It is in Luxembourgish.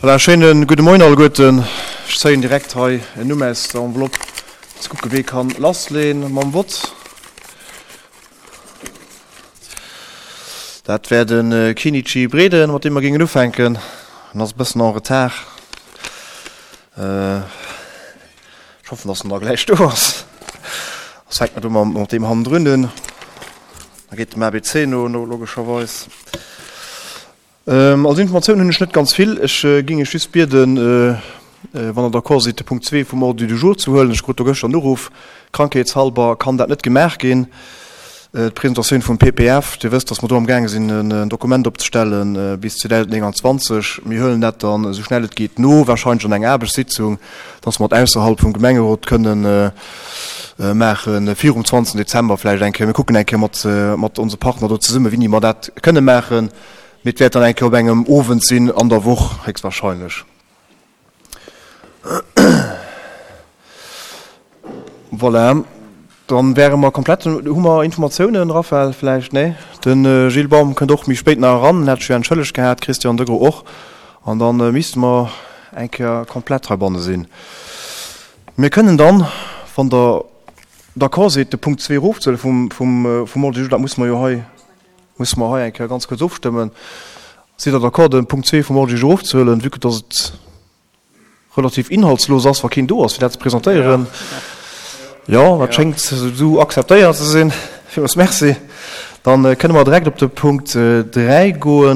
Voilà, schéine gudde Moien alleguerten. Ech zéien direkt hei en Numm aus der Enveloppe, fir ze kucke wee kann lassleeën mam Vott. Dat wär de Kinichi Breden, mat deem mer géingen ufänken. En ass e bëssen en retard. Ech hoffen, dass en da gläich do ass. Soss fänke mer do mat deem hannendrun un. Da geet dem ABC no, logescherweis. Als Informatioun hunn ech net ganz vill. Ech géing Iech just bieden, wann Der d'accord sidd, de Punkt zwee vum Ordre du jour ze huelen. Ech krut do gëschter en Uruff, krankheetshalber kann dat net gemaach ginn, d'Presentatioun vum PPF. Dir wësst, datt mer do amgaange sinn, en Dokument opzestelle bis 2029. Mir huelen dat dann esou schnell et geet no, wahrscheinlech an enger Aarbechtssitzung, datt mer et ausserhalb vum Gemengerot kënnen maachen, virum 20 Dezember vläicht eng Kéier. Mir kucken eng Kéier mat onse Partner do zesummen, wéini mer dat kënne maachen. Mee et wäert dann eng Kéier op engem Owend sinn an der Woch héchstwahrscheinlech. Voilà, dann wäre mer komplett. Hu mer Informatiounen, Raphaël, vläicht? Nee? De Gilles Baum kënnt och méi spéit nach eran, en hat sech jo entschëllegt gehat, Christian Degros och. An da misste mer eng Kéier komplett heibanne sinn. Mir kënnen dann, wann Der d'accord sidd, de Punkt zwee erofzehuele vum Ordre du jour. Dat musse mer jo hei Musse mer hei eng Kéier ganz kuerz ofstëmmen. Sidd Der d'accord, de Punkt zwee vum Ordre du jour erofzehuelen, vue que dass et relativ inhaltslos ass, wa keen do ass, fir dat ze presentéieren? Jo, dat schéngt esou akzeptéiert ze sinn. Villmools Merci. Dann kënne mer direkt op de Punkt 3 goen.